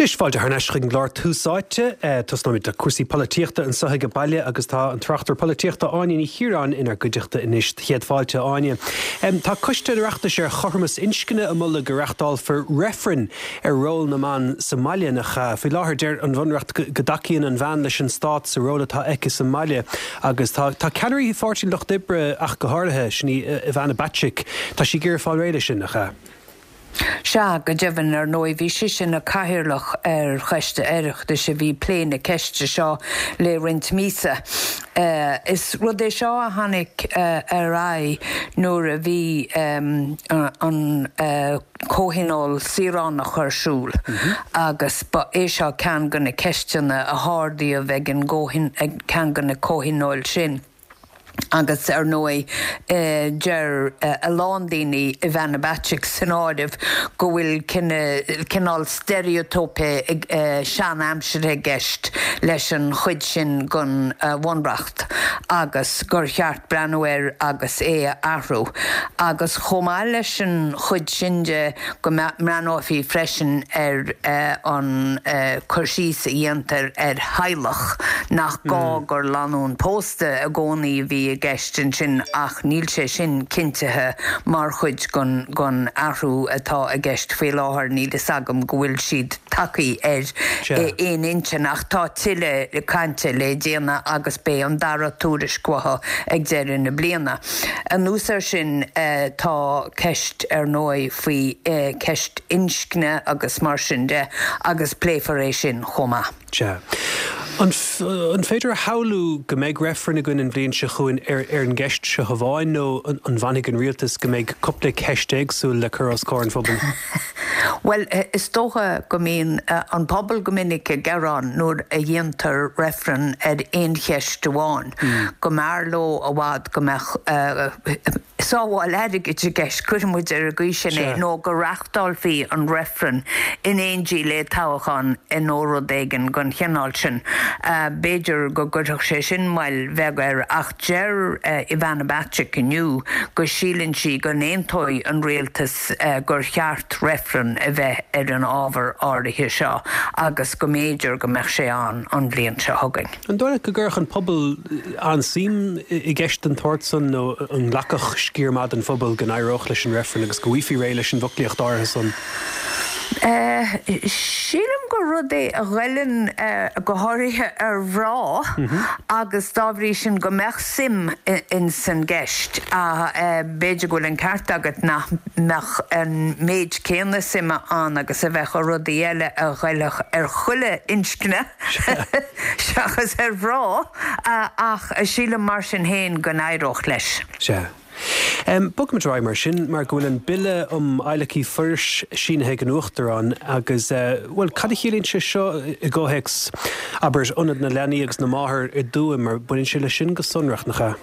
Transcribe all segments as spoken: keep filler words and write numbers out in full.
Anois fáilte thar n-ais chuig an gclár Tús Áite, tosnóimid le cúrsaí polaitíochta anseo ag baile agus tá an tráchtaire polaitíochta Áine Ní Chiaráin inár gcuideachta anois céad fáilte Áine. Tá Coiste an Oireachtais ar chothromas inscne ag moladh go reáchtálfar reifreann ar ról na mban sa mbaile nach faoi láthair deir an Bhunreacht go dtacaíonn an bhean leis an stát sa ról atá aici sa mbaile agus tá tá ceannairí Pháirtí an Lucht Oibre ach go háirithe sin í Ivana Bacik Tá sí ag iarraidh fáil réidh leis sin nach ea. Sea go deimhin ar ndóigh bhí sí ina cathaoirleach ar choiste Oireachtais a bhí ag plé na ceiste seo le roinnt míosa. Uh, is rud é seo a tháinig uh, ar aghaidh nuair a bhí um, an uh, comhthionól saoránach ar siúl mm -hmm. agus ba é seo ceann de na ceisteanna a ardaíodh ag an ceann de na comhthionóil sin. agus ar ndóigh eh, deir eh, a lán daoine Ivana Bacik san áireamh go bhfuil cineál steiréitíopa eh, sean-aimseartha i gceist leis an chuid sin den bhunreacht agus gur cheart breathnú air agus é a athrú. Agus chomh maith leis an chuid sin de go mbreathnófaí freisin ar an cur síos a dhéantar ar theaghlach nach gá mm. gur lánúin pósta i gcónaí a bhí i gceist ansin ach níl sé sin cinntithe mar chuid den den athrú atá i gceist faoi láthair níl a fhios agam go bhfuil siad tagtha ar aon intinn ach tá tuilleadh cainte le déanamh agus beidh an dara tuairisc uathu ag deireadh na bliana. Anuas air sin tá ceist ar ndóigh faoi ceist inscne agus mar sin de agus pléifear é sin chomh maith. Sea. An, an féidir a shamhlú go mbeidh reifreann againn an bhliain seo chugainn ar ar an gceist seo amháin nó an, an bhfanfaidh an rialtas go mbeidh cúpla ceist éagsúil le cur os comhair an phobail? Well is dócha go mbíonn uh, an pobal go minic ag gearán nuair a dhéantar reifreann ar aon cheist amháin. Mm. Go mb'fhearr leo i bhfad go mbeadh uh, sábháil airgid i gceist cuirfimid ar an gcaoi sin é nó go reáchtálfaí an reifreann in éindí le toghchán nó rud éigin den chineál sin. Uh, B'fhéidir go gcuirfeadh sé sin moill bheag air ach deir uh, Ivana Bacik inniu go síleann sí go n-aontóidh an rialtas uh, gur cheart reifreann a bheith ar an ábhar áirithe seo agus go mb'fhéidir go mbeadh sé an an bhliain seo chugainn. An dóigh go gcuirfeadh an pobal an-suim i gceist den tsórt san nó an nglacfadh sciar maith den phobal go n-éireodh leis an reifreann agus go bhfaighfí réidh leis an bhfoclaíocht áirithe san. Uh, Sílim gur rud é a ghoilleann uh, go háirithe ar mhná mm -hmm. agus dá bhrí sin go mbeadh suim in san gceist a uh, b'fhéidir go bhfuil an ceart agat nach mbeadh an méid céanna suime ann agus a bheadh a rudaí eile a ghoillfeadh ar chuile inscne seachas ar mhná uh, ach sílim mar sin féin go n-éireodh leis. Sea. Um, Bogfaimid ar aghaidh mar sin mar go bhfuil an bille um adhlacadh forais sínithe ag an Uachtarán agus uh, well cad a chiallaíonn sé seo i gcomhthéacs abair ionad na leanaí agus na máthar i dTuaim mar baineann sé le sin go sonrach nach ea.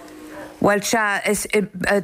Well sea is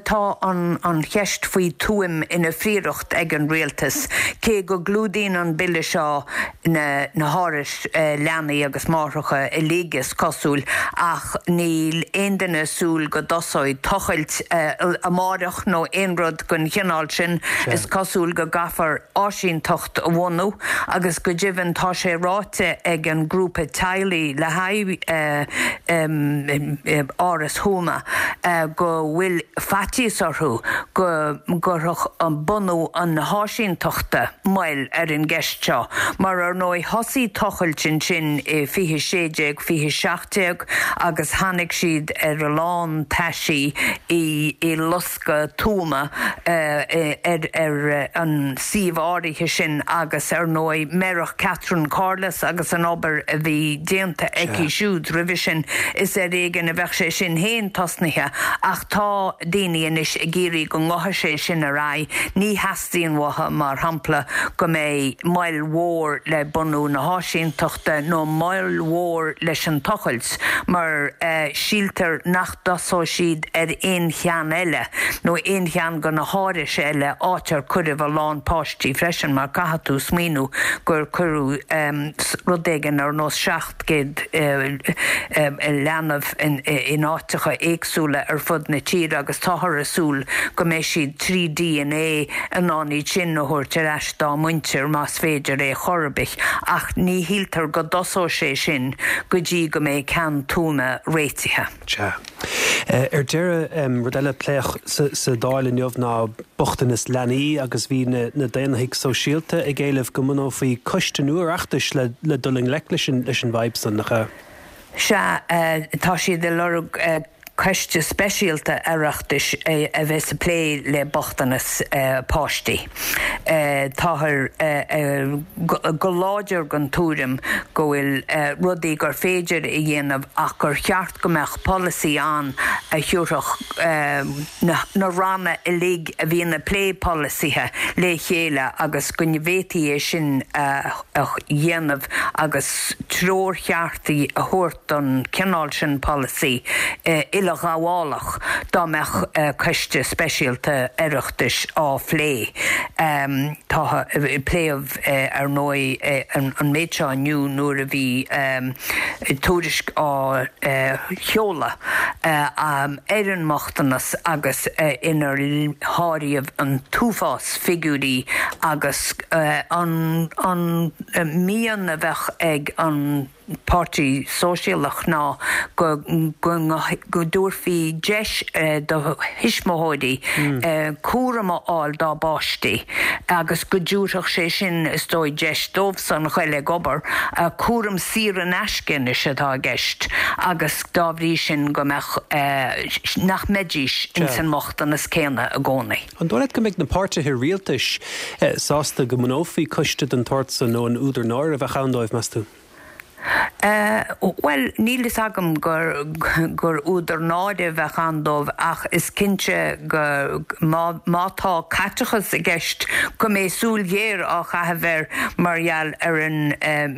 tá an, an cheist faoi Tuaim ina phríoracht ag an rialtas, cé go gclúdaíonn an bille seo na, na hárais uh, leanaí agus máithreacha uilig is cosúil ach níl aon duine ag súil go dtosóidh tochailt uh, amárach nó aon rud den chineál sin is cosúil go gcaithfear áisínteacht a bhunú agus go deimhin tá sé ráite ag an grúpa teaghlaigh le haghaidh uh, um, Áras Thuama. Uh, go bhfuil faitíos orthu go gcuirfeadh an bunú an háisínteachta moill ar an gceist seo, mar ar ndóigh thosaigh tochailt ansin i fiche sé déag fiche seacht déag agus tháinig siad ar a lán taisí i, i lasca tuama uh, ar, ar an suíomh áirithe sin agus ar ndóigh murach Catherine Corless agus an obair a bhí déanta aici siúd roimhe sin is ar éigean a bheadh sé sin féin tosnaithe ach tá daoine anois ag iarraidh go ngabhfaidh sé sin ar aghaidh ní theastaíonn uathu mar shampla go mbeidh moill mhór le bunú na háisínteachta nó moill mhór leis an tochailt mar uh, síltear nach dtosóidh siad ar aon cheann eile nó aon cheann de na hárais eile áit ar cuireadh a lán páistí freisin mar caithfidh tú smaoineamh gur cuireadh um, rud éigin ar nós seacht gcéad uh, um, leanbh in, in áiteacha éagsúla ar fud na tíre agus táthar ag súil go mbeidh siad trí DNA in ann iad sin a thabhairt ar ais dá muintir más féidir é chor ar bith, ach ní shíltear go dtosóidh sé sin go dtí go mbeidh ceann Tuama réitithe. Sea. Ar deireadh, rud eile a pléadh sa Dáil inniu ná bochtanas leanaí agus bhí na Daonlathaigh Sóisialta ag éileamh go mbunófaí coiste nua Oireachtais le dul i ngleic leis an bhfadhb san, nach ea? Sea, tá siad ag lorg coiste speisialta Oireachtais a bheas ag plé le bochtanas páistí. Táthar go láidir den tuairim go bhfuil rudaí gur féidir a dhéanamh ach gur cheart go mbeadh polasaí ann a thabharfadh na ranna uilig a bhíonn ag plé polasaithe le chéile agus go bhféadfaí é sin a dhéanamh agus treoir cheart a thabhairt don chineál sin polasaí uileghabhálach dá mbeadh coiste speisialta Oireachtais á phlé. Tá pléadh ar ndóigh an méid seo inniu nuair a bhí tuairisc á sheoladh ar an mbochtanas agus inar háiríodh an t-uafás figiúirí agus an mian a bheadh ag an Páirtí Sóisialach ná go go dtabharfaí deis do thuismitheoirí cúram a fháil dá bpáistí agus go dtabharfadh sé sin is dóigh deis dóibhsan ghoil ag obair, cúram saor in aisce anois atá i gceist agus dá bhrí sin go mbeadh nach mbeidís ins an mbochtanas céanna i gcónaí. An dóigh leat go mbeidh na páirtithe rialtais sásta go mbunófaí coiste den tsórt san nó an údar náire a bheadh ann dóibh, meas tú? Bhuel, níl fhios agam gur gur údar náire a bheadh ann dóibh ach is cinnte go má má tá caiteachas i gceist go mbeidh súil ghéar á chaitheamh air mar gheall ar an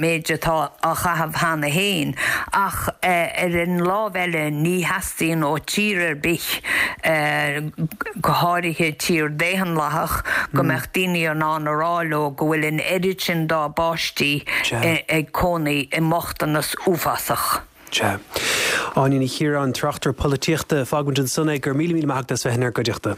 méid atá á chaitheamh cheana féin. Ach ar an lámh eile ní theastaíonn ó tír ar bith, go háirithe tír daonlathach, go mbeadh daoine in ann a rá leo go bhfuil an oiread sin dá bpáistí ag cónaí i mbochtanas uafásach. Sea. Áine Ní Chiaráin, tráchtaire polaitíochta, fágfaimid ansan é. Go raibh míle míle maith agat as bheith inár gcuideachta.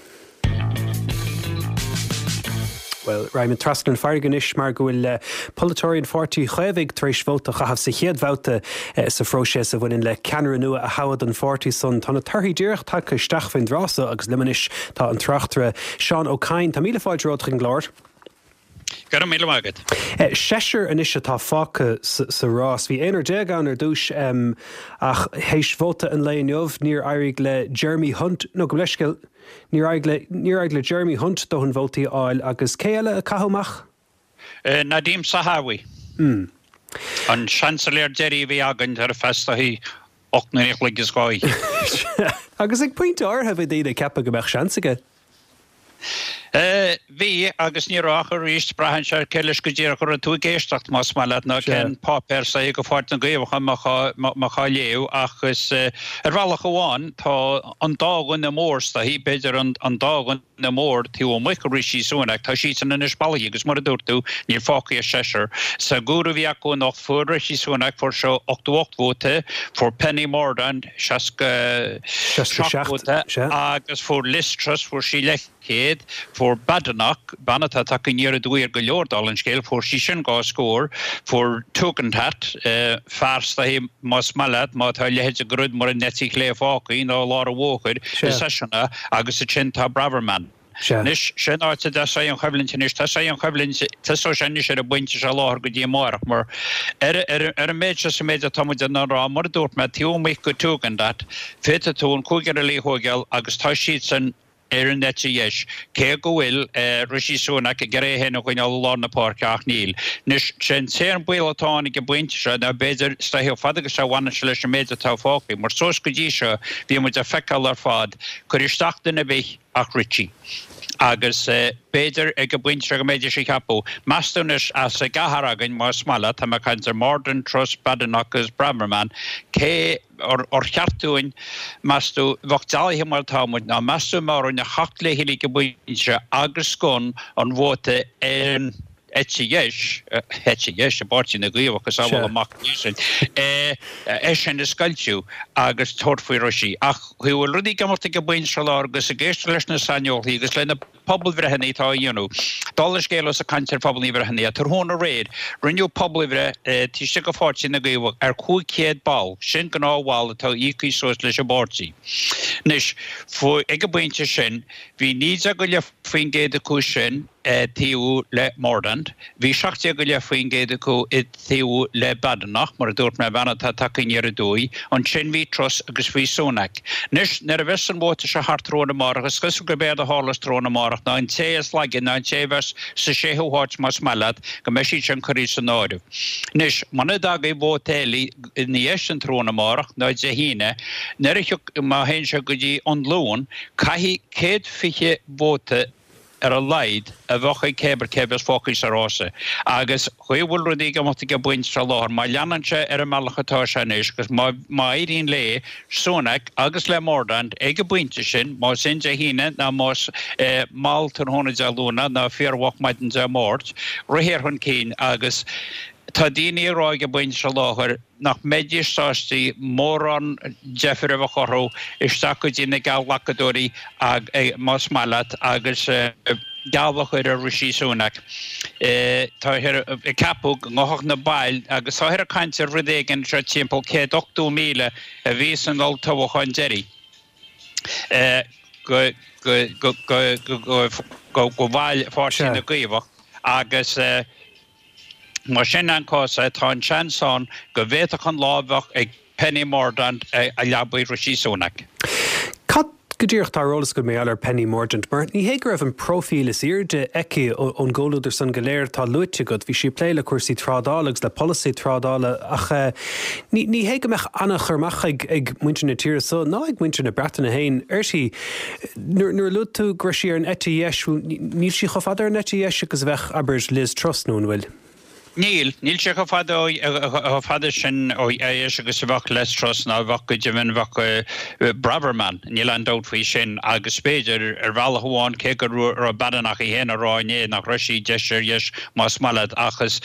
Bhuel, raghaimid trasna an farraige anois mar go bhfuil polaiteoirí an Pháirtí Chaomhaigh tar éis vóta a chaitheamh sa chéad bhabhta sa phróiseas a bhaineann le ceannaire nua a thoghadh don pháirtí san. Tá na torthaí díreach tagtha isteach faoin dtráth so agus liom anois tá an tráchtaire Seán Ó Cadhain. Tá míle fáilte romhat chuig an gclár. Go raibh míle maith agat. Seisear anois atá fágtha sa rás. Bhí aonrar déag ann ar dtús ach théis vóta an lae inniu níor éirigh le Jeremy Hunt, nó gabh mo leithscéal, níor éirigh le, níor éirigh le Jeremy Hunt dóthain vótaí a fháil agus cé eile a caitheadh amach? Nadhim Zahawi. An seansailéir deiridh a bhí againn ar feadh is dóichí ocht n-uaire a chloig is dhá fhichead. Agus ag pointe áirithe bhí daoine ag ceapadh go mbeadh seans aige. Bhí, agus ní raibh ach arís, braitheann sé ar cé leis go díreach a raibh tú ag éisteacht, más maith leat, nó cén páipéar is dóichí de Pháirtí na gCaomhach a mbeifeá á léamh, ach is ar bhealach amháin tá an dá dhuine mór is dóichí, b'fhéidir an dá dhuine mór taobh amuigh de Rishi Sunak, tá siadsan anois bailithe agus mar a dúirt tú, níl fágtha ach seisear. Sa gcomhaireamh a bhí acu anocht, fuair Rishi Sunak, fuair sé ochtó ocht vóta, fuair Penny Mordaunt seasca seacht vóta agus fuair Liz Truss, fuair sí leathchéad. céad. Fuair Badenoch, bean atá tagtha aniar aduaidh ar go leor, dála an scéil, fuair sí sin dhá scór. Fuair Tugendhat, fear is dóichí, más maith leat, má tá a leithéid de rud mar an eite chlé fágtha, nó lár an bhóthair, i Sasana, agus ansin tá Braverman. Anois, sé an áit a dtosóidh an choimhlint anois, tosóidh an choimhlint, tosóidh sé anois ar an bpointe seo i láthair go dtí amárach, mar ar ar an méid seo is an méid atá muid in ann a rá, mar a dúirt mé, taobh amuigh de Tugendhat, féadfaidh tú an cúigear eile a thógáil agus tá siadsan, ar an eite dheis, cé go bhfuil Rishi Sunak ag iarraidh é féin a choinneáil i lár na páirce, ach níl. Anois, sé an t-aon baol atá ann ag an bpointe seo ná b'fhéidir, is dóichí, chomh fada agus a bhaineann sé leis an méid atá fágtha, mar suas go dtí seo, bhí muid ag feiceáil ar fad, cuir isteach duine ar bith ach Rishi. Agus b'fhéidir ag an bpointe seo go mbeidís ag ceapadh, meas tú anois, as an gceathrar againn, más maith leat, tá mé ag caint ar Mordaunt, Truss, Badenoch agus Braverman, cé, Ar cheart dúinn, meas tú, bheadh dealaithe mar atá muid, ná meas tú an mbeadh orainn a theacht le chéile ag an bpointe agus gan an vóta ar an eite dheis, eite dheis i bPáirtí na gCaomhach is amhail amach sin, é sin a scoilteadh agus tabhairt faoi Rishi. Ach chaoi a bhfuil rudaí ag imeacht ag an bpointe seo láthair agus ag éisteacht leis na saineolaithe agus le na pobalbhreitheanna atá á dhéanamh, dála an scéil ós ag caint ar phobalbhreitheanna, tráthnóna aréir, rinneadh pobalbhreith taobh istigh de Pháirtí na gCaomhach ar cúig chéad ball, sin gnáthbhall atá íoctha suas leis an bpáirtí. Anois, ag an bpointe sin, bhí naoi déag go leith faoin gcéad acu sin ag taobhú le Mordaunt, bhí seacht déag go leith faoin gcéad acu ag taobhú le Badenoch, mar a dúirt mé, bean atá tagtha aniar aduaidh, ansin bhí Truss agus bhí Sunak. Anois, nuair a bheas an vóta seo thart tráthnóna amárach, is cosúil gurb éard a tharlós tráthnóna amárach ná an té is laige, ná an té a bheas sa séú háit más maith leat, go mbeidh siad sin curtha san áireamh. Anois, muna dtagaidh vóta eile ina dhiaidh sin tráthnóna amárach, ná Dé hAoine, nuair a thiocfaidh, má théann sé go dtí an Luan, caithfidh céad fiche vóta ar a laghad a bheadh ag cé ar cé a bheas fágtha sa rása. Agus chaoi a bhfuil rudaí ag imeacht ag an bpointe seo láthair, má leanann sé ar an mbealach atá sé anois agus má má éiríonn le Sunak agus le Mordaunt ag an bpointe sin, más in Dé hAoine ná más mall tráthnóna Dé Luain ná fíormhoch maidin Dé Máirt, rith chun cinn agus tá daoine ag rá ag an bpointe seo láthair nach mbeidís sásta mórán deifir a bheith orthu isteach go dtí na geallghlacadóirí más maith leat agus geall a chur ar Rishi Sunak. Táthar ag ceapadh go ngabhfadh na baill agus táthar ag caint ar rud éigin seo timpeall céad ochtó míle a bhí san olltoghchán deiridh go go bhaill Pháirtí na gCaomhach agus Más sin an cás é, tá an seans ann go bhféadfadh an lá a bheadh ag Penny Mordaunt a leabaidh Rishi Sunak. Cad go díreach atá ar eolas agat mar gheall ar Penny Mordaunt? Mar ní hé go raibh an próifíl is airde aici ón gcomhluadar san go léir atá luaite agat. Bhí sí ag plé le cúrsaí trádála agus le polasaí trádála ach ní ní hé go mbeadh an-chur amach ag ag muintir na tíre so ná ag muintir na Breataine féin uirthi. Nuair nuair a luaigh tú go raibh sí ar an eite dheis, níl sí chomh fada ar an eite dheis agus a bheadh, abair, Liz Truss nó an bhfuil? Níl, níl sé chomh fada chomh fada sin ó dheis agus a bheadh Liz Truss ná a bheadh go deimhin bheadh Braverman, níl aon dabht faoi sin agus b'fhéidir ar bhealach amháin cé go raibh Badenoch í féin ag rá inné nach raibh sí deis ar dheis más maith leat ach is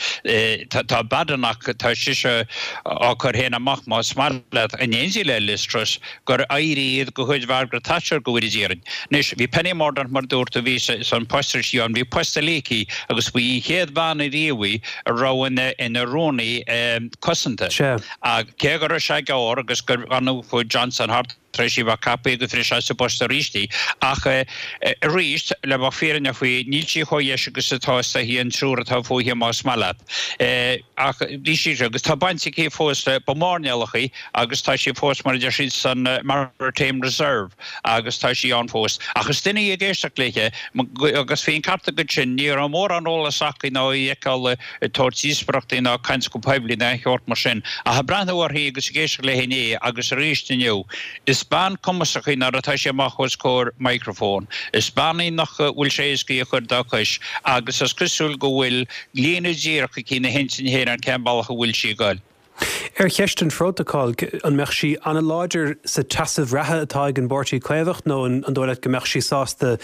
tá Badenoch tá sise á cur féin amach más maith leat in éindí le Liz Truss gur éirí iad de chuid Mhargaret Thatcher go bhfóire Dia orainn. Anois bhí Penny Mordaunt mar a dúirt tú bhí san post a raibh sí ann bhí post eile aici agus ba í an chéad bhean ariamh í a raibh ina ina rúnaí cosanta. Cé go raibh sé gearr agus gur chuaigh Johnson thart tar éis í bheith ceaptha agus bhris sé sa bpost arís í. Ach arís, le bheith fírinneach faoi, níl sí chomh dheis agus atá is í an triúr atá fúithi más maith leat. Ach bhí sí agus tá baint aici fós le ba mhairnéalach í agus tá sí fós mar a deir siad san Maritime Reserve agus tá sí ann fós. Ach is duine í ag éisteacht léithe agus bhí an ceart agat sin, ní raibh mórán eolas acu ná í a fheiceáil ag tabhairt díospóireachtaí ná ag caint go poiblí ná aon cheart mar sin. Ach ag breathnú uirthi agus ag éisteacht léi inné agus arís inniu, is bean cumasach í nuair atá sí amach os comhair microphone. Is bean í nach bhfuil sé éasca í a chur dá cois agus is cosúil go bhfuil líne díreach aici ina hintinn féin ar cén bealach a bhfuil sí ag goil. Ar cheist an phrótacail, an mbeadh sí an-láidir sa tseasamh reatha atá ag an bPáirtí Caomhach nó an dóigh leat go mbeadh sí sásta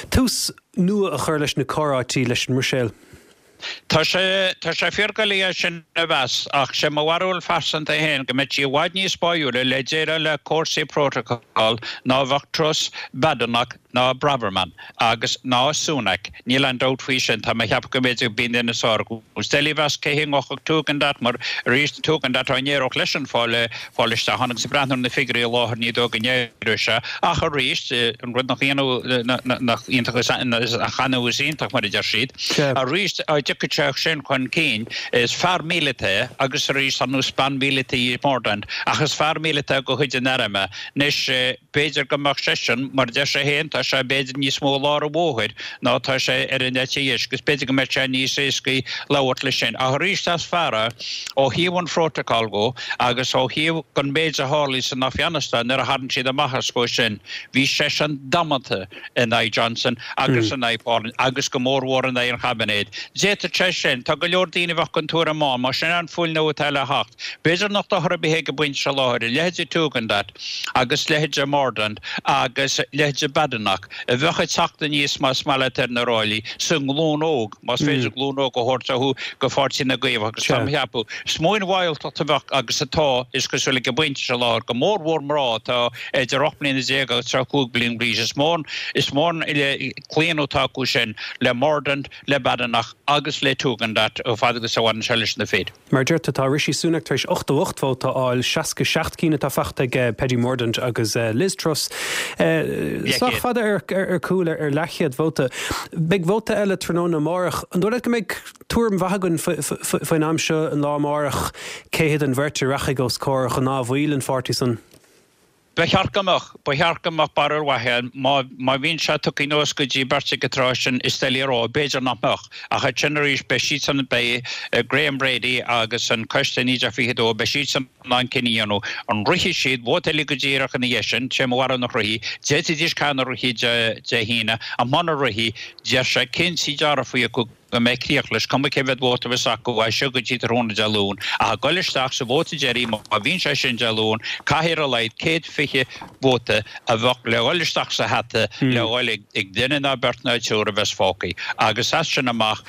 tús nua a chur leis na comhráití leis an mBruiséil? Tá sé, tá sé fíordhoiligh é sin a mheas, ach sé mo bharúil phearsanta féin go mbeadh sí i bhfad níos báúla le déileáil le cúrsaí prótacail ná a bheadh Truss, Badenoch ná Braverman agus ná Sunak. Níl aon dabht faoi sin. Tá mé ag ceapadh go mb'fhéidir b'in duine is fearr acu. Is doiligh a mheas cé hé a ngabhfadh Tugendhat mar arís Tugendhat dá n-éireodh leisean fáil fáil isteach ann agus ag breathnú ar na figiúirí i láthair ní dóigh go n-éireoidh sé ach arís an rud nach ionadh nach iontach is nach annamh is iontach mar a deir siad. Arís dá dtiocfadh sé sin chun cinn is fear míleata é agus arís ar nós bean mhíleata í Mordaunt ach is fear míleata de chuid an airm é. Anois b'fhéidir go mbeadh seisean, mar a deir sé féin, tá sé b'fhéidir níos mó i lár an bhóthair ná tá sé ar an eite dheis agus b'fhéidir go mbeadh sé níos éascaí labhairt leis sin. Ach arís is fear é ó thaobh an phrótacail dhó agus ó thaobh den méid a tharlaigh san Afghanistan nuair a tharraing siad amach as dhó sin, bhí seisean damanta in aghaidh Johnson agus in aghaidh Palin agus go mórmhór in aghaidh an chaibinéid. D'fhéadfadh D'fhéadfadh sé sin. Tá go leor daoine a bheadh den tuairim ann, más sin an fuil nua atá le theacht. B'fhéidir nach dochar ar bith é ag an bpointe seo láthair, a leithéide Tugendhat agus leithéide Mordaunt agus leithéide Badenoch a bheadh ag teacht aníos más maith leat ar na ráillí sa nglúin óg, más féidir glúin óg a thabhairt orthu go Pháirtí na gCaomhach agus tá mé a cheapadh is mó an mhealltacht a bheadh agus atá, is cosúil ag an bpointe seo láthair, go mór mhór mná atá idir ocht mbliana déag agus tríocha cúig bliain d'aois. Is mó is mó an claonadh atá acu sin le Mordaunt, le Badenoch agus le Tugendhat chomh fada agus a bhaineann sé leis na fir. Mar a deir tú, tá Rishi Sunak tar éis ochtó ocht vóta a fháil, seasca seacht cinn atá faighte ag Penny Mordaunt agus Liz Truss sách fada ar cúl ar leathchéad vóta. Beidh vóta eile tráthnóna amárach. An dóigh leat go mbeidh tuairim mhaith againn faoin am seo an lá amárach cé hiad an bheirt a rachaidh os comhair ghnáthbhaill an pháirtí san? Ba cheart go mbeadh. Ba cheart go mbeadh barúil mhaith ann. Má, má bhíonn sé tugtha anuas go dtí beirt ag an tráth sin, is doiligh a rá. B'fhéidir nach mbeadh. Ach ansin arís, beidh siadsan, beidh Graham Brady agus an Coiste naoi déag fiche a dó, beidh siadsan in ann cinneadh a dhéanamh. An rithfidh siad vóta eile go díreach ina dhiaidh sin? Sé mo bharúil nach rithfidh. D'fhéadfaidís caithfidh nach rithfidh Dé, Dé hAoine. Ach muna rithfidh, bheadh sé cinnte dearfa acu go mbeidh críoch leis, cuma cé mhéad vóta a bheas acu as seo go dtí tráthnóna Dé Luain, ach ag dul isteach sa vóta deiridh, má bhíonn sé sin Dé Luain, caithfidh ar a laghad céad fiche vóta a bheadh le dhul isteach sa hata le dhul ag duine ná beirt ná triúr a bheas fágtha. Agus as sin amach,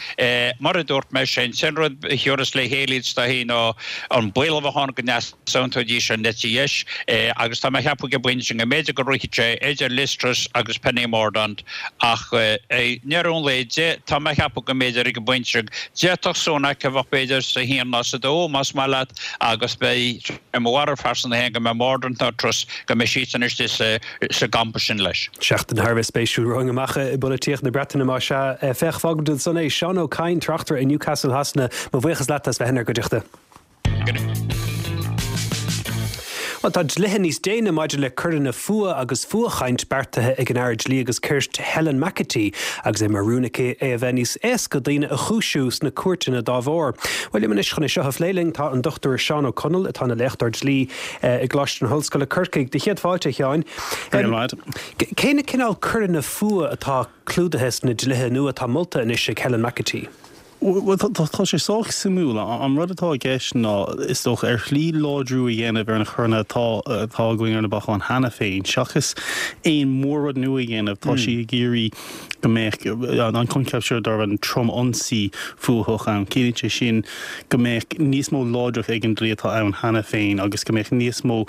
mar a dúirt mé, sé an t-aon rud a thiúrfas le chéile iad is dóichí ná an baol a bheadh ann go n-easaontóidís an eite dheis, agus tá mé a cheapadh ag an bpointe sin go mb'fhéidir go rithfeadh sé idir Liz Truss agus Penny Mordaunt ach i ndeireadh an lae, tá mé a cheapadh go mb'fhéidir ag an bpointe seo, d'fhéadfadh Sunak a bheith b'fhéidir sa haon ná sa dó, más maith leat, agus beidh, i mo bharúil phearsanta féin, go mbeidh Mordaunt ná Truss, go mbeidh siadsan istigh sa sa gcampa sin leis. Seachtain thar a bheith spéisiúil romhainn amach i bpolaitíocht na Breataine más ea. Féach, fágfaimid ansan é. Seán Ó Cadhain, tráchtaire i Newcastle Shasana, mo bhuíochas leat as bheith inár gcuideachta. Bhuel, tá dlíthe níos déine maidir le coireanna fuatha agus fuathchaint beartaithe ag an Aire Dlí agus Cirt Helen McEntee agus é mar rún aici é a bheith níos éasca daoine a chúisiú sna cúirteanna dá bharr. Bhuel, liom anois chun é seo a phlé linn tá an Dochtúir Seán Ó Conaill atá ina léachtóir dlí i gColáiste na hOllscoile Corcaigh. Do chéad fáilte, a Sheáin. Cé na cineál coireanna fuatha atá clúdaithe sna dlíthe nua atá molta anois ag Helen McEntee? Bhuel, tá sé sách suimiúil. An rud atá i gceist ná, is dócha, ar shlí láidriú a dhéanamh ar na coireanna atá atá againn ar na bacáin cheana féin, seachas aon mhór-rud nua a dhéanamh. Tá sí ag iarraidh go mbeadh an coincheap seo darb ainm trom-ionsaí fuathach ann. Ciallaíonn sé sin go mbeadh níos mó láidreacht ag an dlí atá ann cheana féin agus go mbeadh níos mó,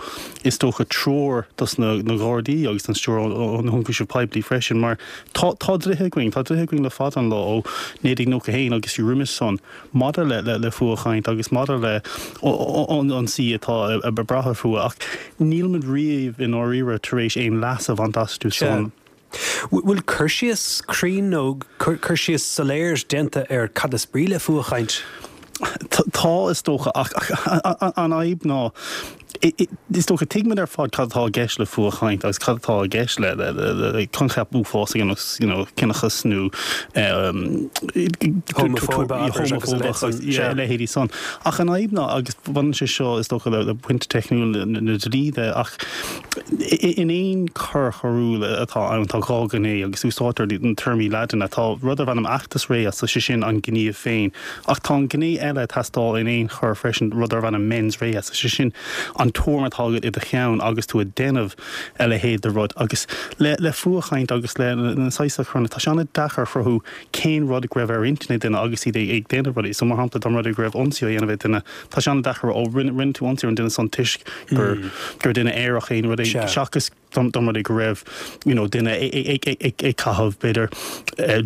is dócha, treoir dos na Gardaí agus don Stiúrthóir Ionchúiseamh Poiblí freisin mar tá tá dlíthe againn, tá dlíthe againn le fada an lá ó naoi déag nócha a haon agus fiú roimis san maidir le le fuathchaint agus maidir le ionsaí atá ag brath ar fuath ach nílimid riamh i ndáiríre tar éis aon leas a bhaint astu san. Bhfuil cur síos cruinn nó cur síos soiléir déanta ar cad is brí le fuathchaint? Tá, is dócha, ach an fhadhb ná, is dócha, tuigimid ar fad cad atá i gceist le fuathchaint agus cad atá i gceist le coincheap uafásach ar nós you know ciníochas nó homafóibe agus a leithéidí san. Ach an fhadhb ná, agus baineann sé seo is dócha le pointe teicniúil na dlí de, ach in aon choir choiriúil atá ann tá dhá ghné agus úsáidtear na téarmaí Laidine. Tá rud darb ainm actus reus, sé sin an gníomh féin, Ach tá an ghné eile ag teastáil in aon choir freisin, rud darb ainm mens rea, sé sin an tuairim atá agat i do cheann agus tú ag déanamh a leithéid de rud. Agus le le fuathchaint agus le na saghas coireanna, tá sé an-deacair a chruthú cén rud go raibh ar intinn ag duine agus iad ag déanamh rudaí. So mar shampla, dá mba rud é go raibh ionsaí á dhéanamh ag duine, tá sé an-deacair a rá, ó rinne rinne tú ionsaí ar an duine san toisc gur gur duine aerach é nó rud éigin, seachas dá mba rud é go raibh you know duine ag caitheamh b'fhéidir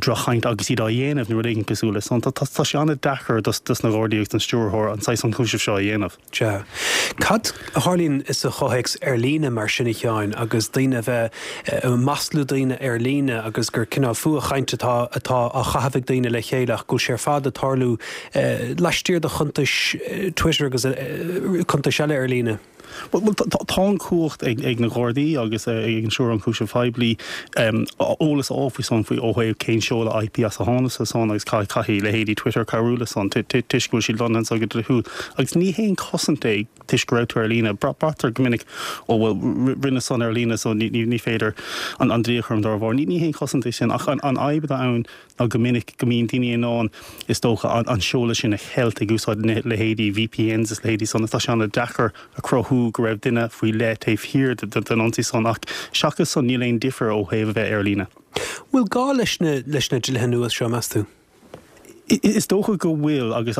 droch-chaint agus iad á dhéanamh nó rud éigin cosúil le san. Tá sé an-deacair dos na Gardaí agus don Stiúrthóir an saghas ionchúisimh seo a dhéanamh. Sea. Cad a tharlaíonn sa chomhthéacs ar líne mar sin a Sheáin agus daoine a bheith ag maslú daoine ar líne agus gur cineál fuathchaint atá atá á chaitheamh ag daoine le chéile ach go bhfuil sé ar fad ag tarlú laistiar de chuntais Twitter agus cuntais eile ar líne? Bhuel, tá an chumhacht ag na Gardaí agus ag an Stiúrthóir Ionchúiseamh Poiblí eolas a fháil faoi san, faoi ó thaobh cén seoladh IP as a tháinig sé san agus caithfidh leithéidí Twitter cabhrú le san toisc go bhfuil siad lonnaithe anso go dlíthiúil. Agus ní haon chosaint é toisc go raibh tú ar líne. Braitear go minic, ó bhuel, rinneadh san ar líne so ní féidir an dlí a chur orm dá bharr. Ní haon chosaint é sin ach an fhadhb atá ann ná go minic go mbíonn daoine in ann, is dócha, an seoladh sin a cheilt ag úsáid leithéidí VPNs is leithéidí san. Tá sé an-deacair a chruthú go raibh duine faoi leith taobh thiar den ionsaí san ach seachas san níl aon difear ó thaobh a bheith ar líne. Bhfuil gá leis na leis na dlíthe nua seo, meas tú? Is dócha go bhfuil agus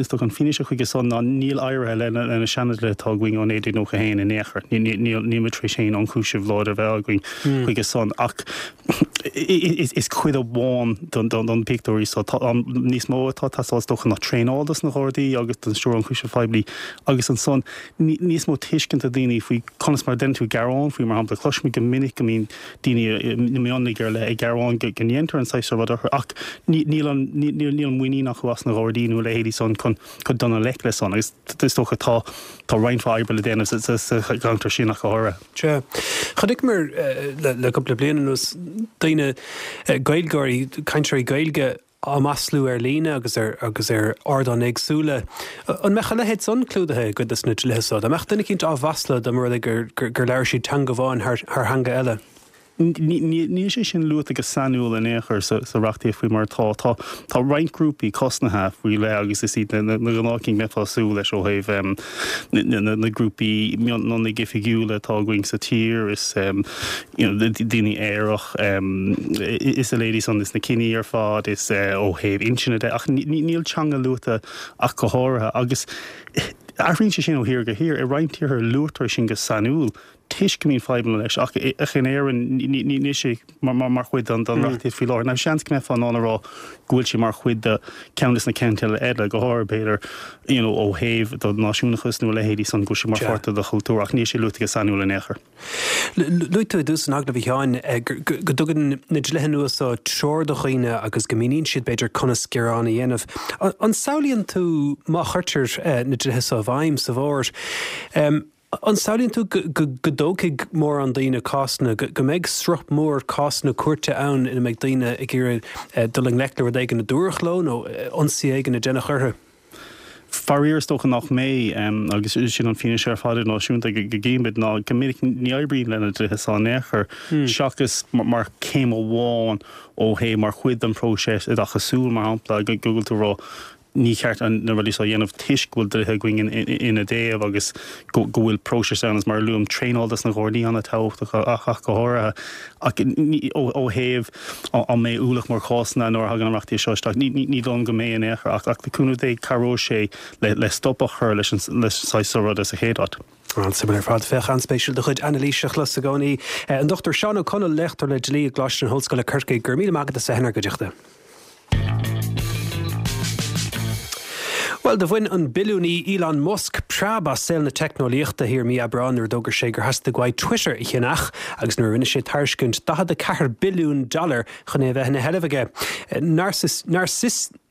is dócha an fianaise chuige san ná níl éirithe le na seanadlíthe atá againn ó naoi déag nócha a haon in aon chor. Níl muid tar éis aon ionchúiseamh láidir a bheith againn chuige san ach is cuid amháin den pictiúr í so. Tá níos mó atá ag teastáil is dócha ná traenáil dos na Gardaí agus don Stiúrthóir Ionchúiseamh Phoiblí agus ansan níos mó tuiscint ag daoine faoi conas mar a deineann tú gearán faoi mar shampla. Cloisimid go minic go mbíonn daoine i mionlaigh ar leith ag gearán go ndéantar an saghas seo rud orthu ach níl an níl muinín acu as na Gardaí nó a leithéidí san chun chun dul i ngleic le san agus is dócha tá tá roinnt mhaith oibre le déanamh sa sa cheantar sin ach go háirithe. Sea. Chonaiceamar le le cúpla bliain anuas daoine, Gaeilgeoirí, cainteoirí Gaeilge, á maslú ar líne agus ar agus ar ardáin éagsúla. An mbeadh a leithéid san clúdaithe i gcuid de na dlíthe so? Dá mbeadh duine eicínt á mhaslú dá mba rud é gur gur labhair siad teanga amháin thar thar theanga eile? Níl sé sin luaite go sainiúil in aon chor sa reachtaíocht faoi mar atá. Tá tá roinnt grúpaí cosnaithe faoi leith agus is iad na gnáthchinn a mbeifeá ag súil leis ó thaobh na grúpaí mionlaigh oifigiúla atá againn sa tír, is you know daoine aerach, is a leithéidí san, is na ciní ar fad, is ó thaobh inscne de ach níl teanga luaite ach go háirithe agus athraíonn sé sin ó thír go thír. I roinnt tíortha luaitear sin go sainiúil. toisc go mbíonn fadhbanna leis ach in Éirinn níl sé mar chuid den reachtaíocht faoi láthair. Now seans go mbeifeá in ann a rá go bhfuil sé mar chuid de ceann de na ceanteidil eile, go háirithe b'fhéidir you know ó thaobh do náisiúnachas nó a leithéidí san go bhfuil sé mar pháirt de do chultúr ach níl sé luaite go sainiúil in aon chor. Luaigh tú i dtús an agallaimh a Sheáin go dtugann na dlíthe nua seo treoir do dhaoine agus go míníonn siad b'fhéidir conas gearán a dhéanamh. An samhlaíonn tú má chuirtear na dlíthe seo i bhfeidhm sa bhfómhar, An samhlaíonn tú go dtógfaidh mórán daoine cásanna, go mbeidh sruth mór cásanna cúirte ann ina mbeidh daoine ag iarraidh dul i ngleic le rud éigin a dúradh leo nó ionsaí éigin a deineadh orthu? Faraor is dócha nach mbeidh, agus sin an fianaise ar fad idirnáisiúnta go gcímid, ná go minic ní oibríonn na dlíthe seo in aon chor, seachas mar chéim amháin ó thaobh mar chuid den phróiseas oideachasúil, mar shampla, go bhfuil tú ag rá ní ceart na rudaí seo a dhéanamh toisc go bhfuil dlíthe againn ina dtaobh agus go bhfuil próiseas ann agus mar a luaim, traenáil dos na Gardaí an-tábhachtach ach go háirithe. Ach ó thaobh an mbeidh ualach mór cásanna nuair a thagann an reachtaíocht seo isteach, ní dóigh liom go mbeidh in aon chor ach le cúnamh Dé cabhróidh sé le stop a chur leis an saghas seo ruda sa chéad áit. An-suimiúil ar fad. Féach, an-spéisiúil do chuid anailíse a chlos i gcónaí. An Dochtúir Seán Ó Conaill, léachtóir le dlí i gColáiste na hOllscoile Corcaigh, go raibh míle maith agat as a bheith inár gcuideachta. Bhuel, do bhain an billiúnaí Elon Musk preab as saol na teicneolaíochta thiar mí Aibreáin nuair a d'fhógair sé gur theastaigh uaidh Twitter a cheannach agus nuair a rinne sé tairiscint daichead a ceathair billiún dollar chun é a bheith ina sheilbh aige.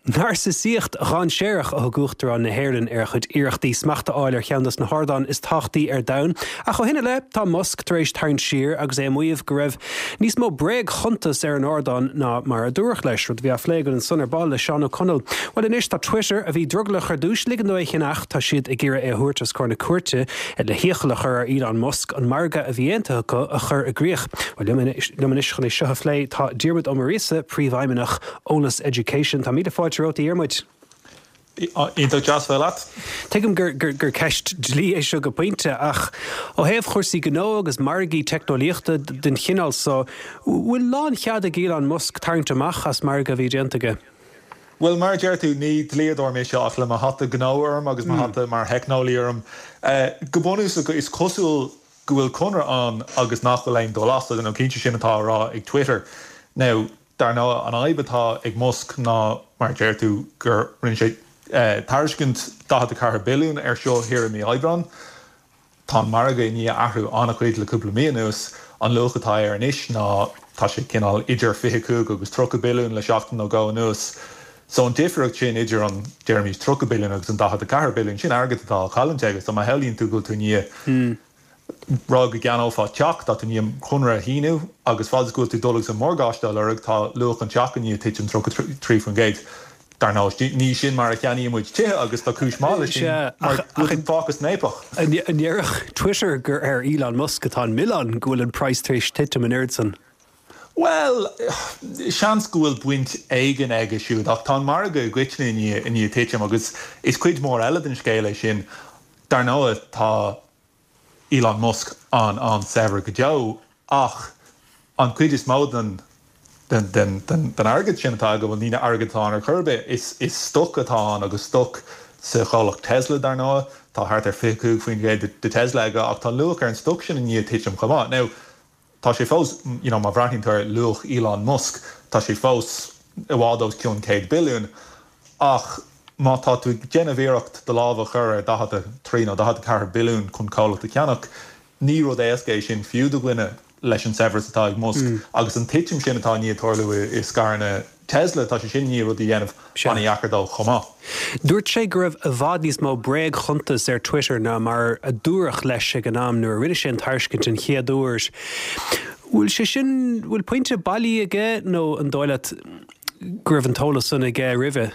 Narcisaíocht dhainséarach a thug Uachtarán na hÉireann ar a chuid iarrachtaí smacht a fháil ar cheann dos na hardáin is tábhachtaí ar domhan. Ach ó shin i leith, tá Musk tar éis tarraingt siar agus é ag maíomh go raibh níos mó bréagchuntas ar an ardán ná mar a dúradh leis, rud a bhí á phlé againn ansan ar ball le Seán Ó Conaill. Bhuel anois tá Twitter, a bhí drogallach ar dtús ligean dó é a cheannach, tá siad ag iarraidh é a thabhairt os comhair na cúirte le hiachall a chur ar Elon Musk an margadh a bhí aontaithe acu a chur i gcrích. Bhuel liom anois chun é seo a phlé tá Diarmuid Ó Muiríosa, Príomhfheidhmeannach Eolas Education. Tá míle fáilte romhat a Dhiarmuid. Iontach deas bheith leat. Tuigim gur gur ceist dlí é seo go pointe, ach ó thaobh chúrsaí gnó agus margaí teicneolaíochta den chineál so, bhfuil lánchead ag Elon Musk tarraingt amach as margadh a bhí déanta aige? Bhuel, mar a deir tú, ní dlíodóir mise ach le mo hata gnó orm agus mo hata mar theicneolaí orm, go bunúsach is cosúil go bhfuil conradh ann agus nach bhfuil aon dul as, nó cinnte sin atá á rá ag Twitter. Now, Dar ndóigh, an fhadhb atá ag Musk ná, mar a deir tú, gur rinne sé tairiscint daichead a ceathair billiún air seo thiar i mí Aibreáin. Tá an margadh i ndiaidh athrú an-chuid le cúpla mí anuas. An luach atá air anois ná, tá sé cineál idir fiche cúig agus tríocha billiún le seachtain nó dhó anuas. So an difríocht sin idir an, deirimís, tríocha billiún agus an daichead a ceathair billiún, sin airgead atá á chailliúint aige. So má shamhlaíonn tú go bhfuil tú i ndiaidh rá go gceannófá teach, tá tú i ndiaidh an conradh a shíniú agus fad is go bhfuil tú ag dul agus an morgáiste á lorg, tá luach an teach i ndiaidh titim tríocha trí faoin gcéad. Dar ndóigh, ní sin mar a cheannaíonn muid tithe agus tá cúis mhaith leis sin mar go bhfuil tú fágtha san fhaopach. An ndéarfadh Twitter gur ar Elon Musk atá an milleán go bhfuil an praghas tar éis titim an oiread san? Bhuel, seans go bhfuil baint éigin aige siúd, ach tá an margadh i gcoitinne i ndiaidh titim agus is cuid mhór eile den scéal é sin. Dar ndóigh, tá Elon Musk an-an-saibhir go deo, ach an chuid is mó den den den airgead sin atá aige, bhuel, ní airgead atá ann ar chor ar bith, is is stoc atá ann agus stoc sa chomhlacht Tesla, dar ndóigh. Tá thart ar fiche cúig faoin gcéad de Tesla aige, ach tá luach ar an stoc sin i ndiaidh titim chomh maith. Now, Tá sé fós, you know, má bhreathnaíonn tú ar luach Elon Musk, tá sé fós i bhfad os cionn céad billiún, ach má tá tú ag déanamh iarracht do lámh a chur ar daichead a trí nó daichead a ceathair billiún chun comhlacht a cheannach, ní rud éasca é sin fiú do dhuine leis an saibhreas atá ag Musk. Agus an titim sin atá i ndiaidh tarlú i scaireanna Tesla, tá sé sin i ndiaidh rudaí a dhéanamh an-dheacair dó chomh maith. Dúirt sé go raibh i bhfad níos mó bréagchuntas ar Twitter ná mar a dúradh leis ag an am nuair a rinne sé an tairiscint an chéad uair. Bhfuil sé sin, bhfuil pointe bailí aige nó an dóigh leat go raibh an t-eolas san aige roimhe?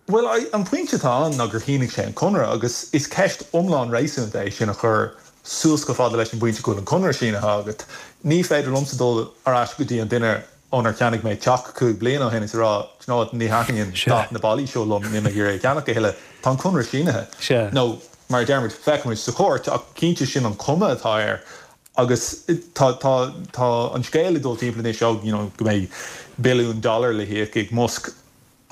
Bhuel, an pointe atá ann ná gur shínigh sé an conradh agus is ceist iomlán réasúnta é sin a chur suas chomh fada leis an bpointe go bhfuil an conradh sínithe agat. Ní féidir liomsa dul ar ais go dtí an duine ónar cheannaigh mé teach cúig bliana ó shin is a rá, do you know what, ní thaitníonn dath na ballaí seo liom, níl mé ag iarraidh é a cheannach a thuilleadh. Tá an conradh sínithe. Nó, mar a deirimid, feicfimid sa chúirt, ach cinnte sin an chuma atá air. Agus tá, tá, tá an scéal ag dul timpeall anois, ó, you know, go mbeidh billiún dollar le híoc ag Musk.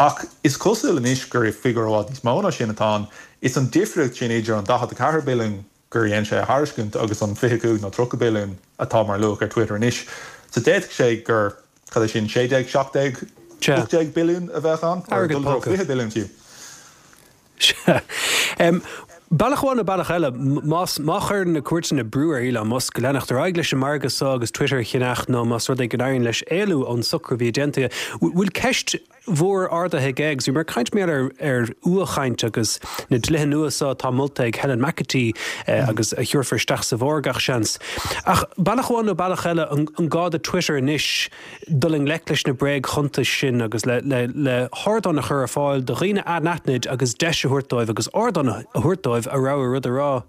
Ach is cosúil anois gur figiúr i bhfad níos mó ná sin atá ann. Is an difríocht sin idir an daichead a ceathair billiún gur dhein sé a thairiscint agus an fiche cúig nó tríocha billiún atá mar luach ar Twitter anois. So d'fhéadfadh sé gur, cad é sin, sé déag, seacht déag, ocht déag billiún a bheadh ann, or Airgead dul i dtreo póca. fiche billiún fiú. Sea. Bealach amháin nó bealach eile, más, má chuireann na cúirteanna brú ar Elon Musk leanacht ar aghaidh leis an margadh seo agus Twitter a cheannach nó más rud é go n-éiríonn leis éalú ón socrú a bhí déanta aige, bhfuil ceist mhór ardaithe aige agus bhí mé ag caint mar gheall ar fhuathchaint agus na dlíthe nua seo atá molta ag Helen McEntee agus a thabharfar isteach sa bhfómhar gach seans. Ach bealach amháin nó bealach eile, an gá do Twitter anois dul i ngleic leis na bréagchuntais sin agus le le hardán a chur ar fáil do dhaoine anaithnid agus deis a thabhairt dóibh agus ardán a thabhairt dóibh a rogha rud a rá?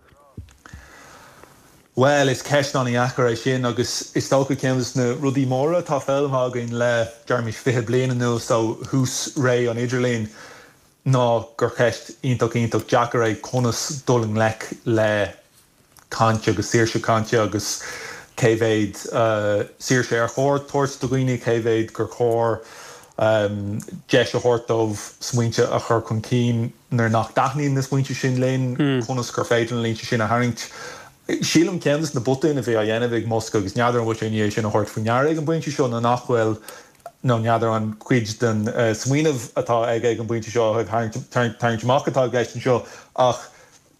Bhuel, is ceist an-dheacair é sin agus is dócha ceann de na rudaí móra atá foghlamtha againn le, deirimis, fiche bliain anuas ó thús ré an idirlín ná gur ceist iontach iontach deacair é conas dul i ngleic le caint agus saoirse cainte agus cé mhéad saoirse ar chóir tabhairt do dhaoine, cé mhéad gur chóir deis a thabhairt dóibh smaointe a chur chun cinn nuair nach dtaitníonn na smaointe sin linn, conas gur féidir na línte sin a tharraingt. Sílim ceann de na botúin a bhí á dhéanamh ag Musk agus n'fheadar an bhfuil sé i ndiaidh sin a thabhairt faoi ndeara ag an bpointe seo nó nach bhfuil nó n'fheadar an cuid den smaoineamh atá aige ag an bpointe seo ó thaobh tarraingt amach atá i gceist anseo ach